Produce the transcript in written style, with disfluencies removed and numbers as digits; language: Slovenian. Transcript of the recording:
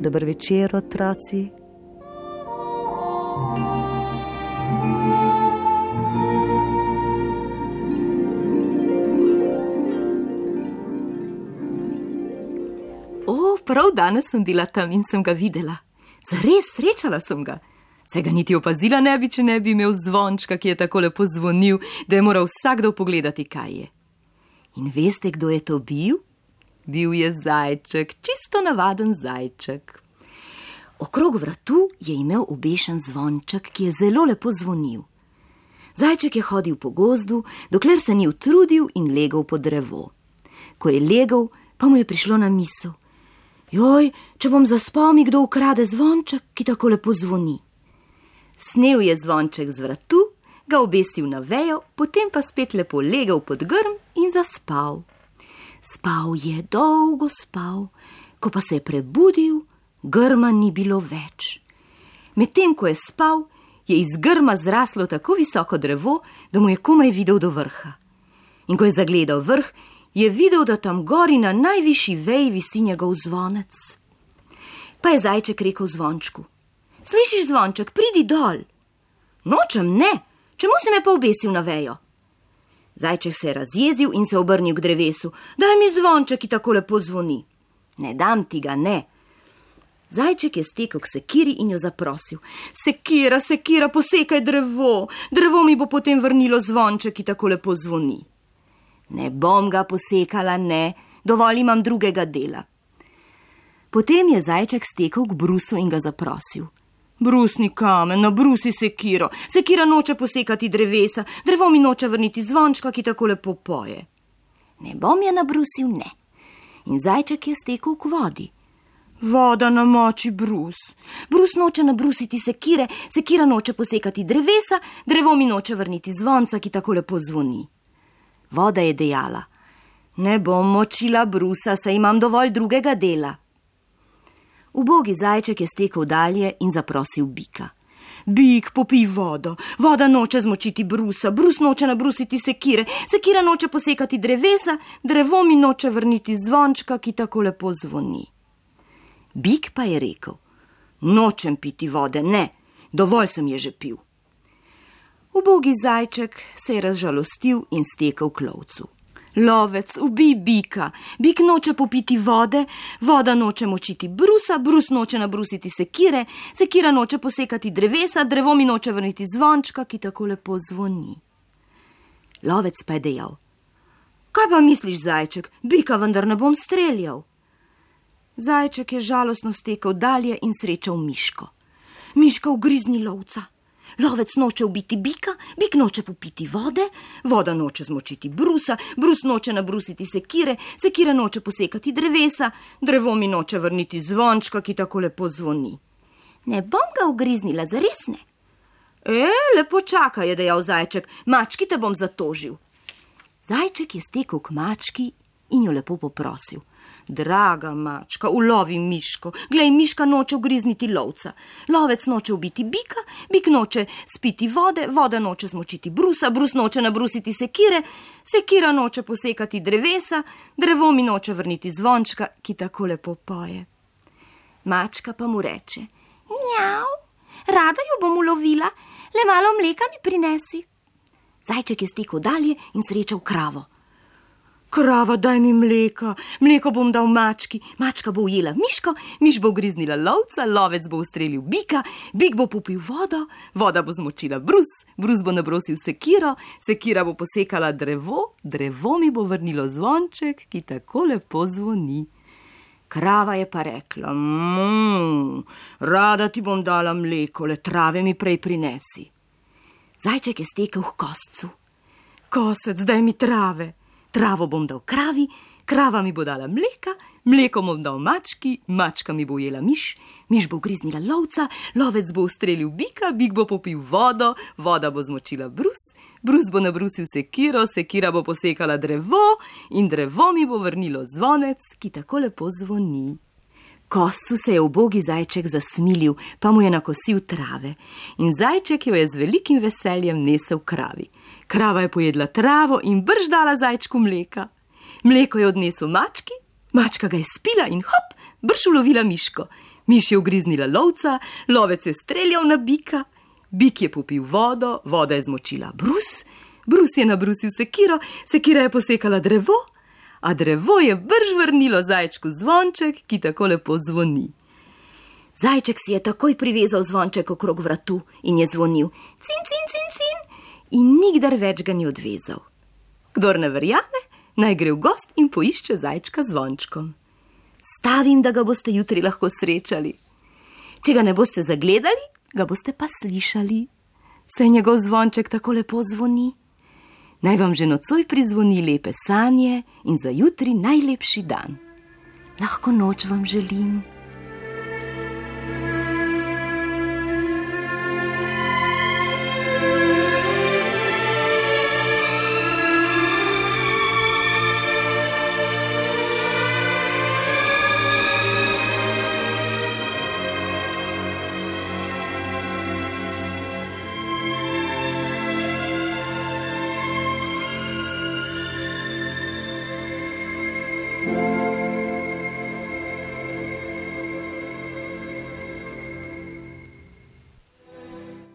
Dober večer, otroci. Prav danes sem bila tam in sem ga videla. Zares, srečala sem ga. Se ga niti opazila ne bi, če ne bi imel zvončka, ki je tako lepo zvonil, da je moral vsakdo pogledati, kaj je. In veste, kdo je to bil? Bil je zajček, čisto navaden zajček. Okrog vratu je imel obešen zvonček, ki je zelo lepo zvonil. Zajček je hodil po gozdu, dokler se ni utrudil in legel pod drevo. Ko je legel, pa mu je prišlo na misel: Joj, če bom zaspal, mi kdo ukrade zvonček, ki tako lepo zvoni. Snel je zvonček z vratu, ga obesil na vejo, potem pa spet lepo legel pod grm in zaspal. Spal je, dolgo spal, ko pa se je prebudil, grma ni bilo več. Medtem ko je spal, je iz grma zraslo tako visoko drevo, da mu je komaj videl do vrha. In ko je zagledal vrh, je videl, da tam gori na najvišji veji visi njegov zvonec. Pa je zajček rekel zvončku: Slišiš, zvonček, pridi dol. Nočem, ne, čemu si me pa obesil na vejo? Zajček se je razjezil in se obrnil k drevesu: Daj mi zvonček, ki tako lepo zvoni. Ne dam ti ga, ne. Zajček je stekel k sekiri in jo zaprosil: Sekira, sekira, posekaj drevo. Drevo mi bo potem vrnilo zvonček, ki tako lepo zvoni. Ne bom ga posekala, ne, dovolj imam drugega dela. Potem je zajček stekel k brusu in ga zaprosil: Brusni kamen, nabrusi sekiro. Sekira noče posekati drevesa, drevo mi noče vrniti zvončka, ki tako lepo poje. Ne bom je nabrusil, ne. In zajček je stekel k vodi. Voda namoči brus. Brus noče nabrusiti sekire, sekira noče posekati drevesa, drevo mi noče vrniti zvonca, ki tako lepo zvoni. Voda je dejala: Ne bom močila brusa, saj imam dovolj drugega dela. Ubogi zajček je stekel dalje in zaprosil bika: Bik, popij vodo. Voda noče zmočiti brusa, brus noče nabrusiti sekire, sekira noče posekati drevesa, drevo mi noče vrniti zvončka, ki tako lepo zvoni. Bik pa je rekel: Nočem piti vode, ne, dovolj sem je že pil. Ubogi zajček se je razžalostil in stekel k lovcu. Lovec, ubij bika. Bik noče popiti vode, voda noče močiti brusa, brus noče nabrusiti sekire, sekira noče posekati drevesa, drevo mi noče vrniti zvončka, ki tako lepo zvoni. Lovec pa je dejal: Kaj pa misliš, zajček, bika vendar ne bom streljal. Zajček je žalostno stekel dalje in srečal miško. Miška ugrizni lovca. Lovec noče ubiti bika, bik noče popiti vode, voda noče zmočiti brusa, brus noče nabrusiti sekire, sekira noče posekati drevesa, drevo mi noče vrniti zvončka, ki tako lepo zvoni. Ne bom ga ugriznila, zares ne. Lepo čakaj, je dejal zajček, mački te bom zatožil. Zajček je stekel k mački in jo lepo poprosil: Draga mačka, ulovi miško. Glej, miška noče ugrizniti lovca. Lovec noče ubiti bika, bik noče spiti vode, voda noče zmočiti brusa, brus noče nabrusiti sekire, sekira noče posekati drevesa, drevo mi noče vrniti zvončka, ki tako lepo poje. Mačka pa mu reče: Mjav, rada jo bom ulovila, le malo mleka mi prinesi. Zajček je stekel dalje in srečal kravo. Krava, daj mi mleka, mleko bom dal mački, mačka bo ujela miško, miš bo ugriznila lovca, lovec bo ustrelil bika, bik bo popil vodo, voda bo zmočila brus, brus bo nabrosil sekiro, sekira bo posekala drevo, drevo mi bo vrnilo zvonček, ki tako lepo zvoni. Krava je pa rekla: Rada ti bom dala mleko, le trave mi prej prinesi. Zajček je stekel k koscu. Kosec, daj mi trave. Travo bom dal kravi, krava mi bo dala mleka, mleko bom dal mački, mačka mi bo ujela miš, miš bo ugriznila lovca, lovec bo ustrelil bika, bik bo popil vodo, voda bo zmočila brus, brus bo nabrusil sekiro, sekira bo posekala drevo in drevo mi bo vrnilo zvonec, ki tako lepo zvoni. Koscu se je ubogi zajček zasmilil, pa mu je nakosil trave in zajček jo je z velikim veseljem nesel kravi. Krava je pojedla travo in brž dala zajčku mleka. Mleko je odnesel mački, mačka ga je spila in hop, brž ulovila miško. Miš je ugriznila lovca, lovec je streljal na bika, bik je popil vodo, voda je zmočila brus, brus je nabrusil sekiro, sekira je posekala drevo, a drevo je brž vrnilo zajčku zvonček, ki tako lepo zvoni. Zajček si je takoj privezal zvonček okrog vratu in je zvonil cin, cin, cin, cin in nikdar več ga ni odvezal. Kdor ne verjame, naj gre v gost in poišče zajčka zvončkom. Stavim, da ga boste jutri lahko srečali. Če ga ne boste zagledali, ga boste pa slišali. Saj njegov zvonček tako lepo zvoni. Naj vam že nocoj prizvoni lepe sanje in za jutri najlepši dan. Lahko noč vam želim.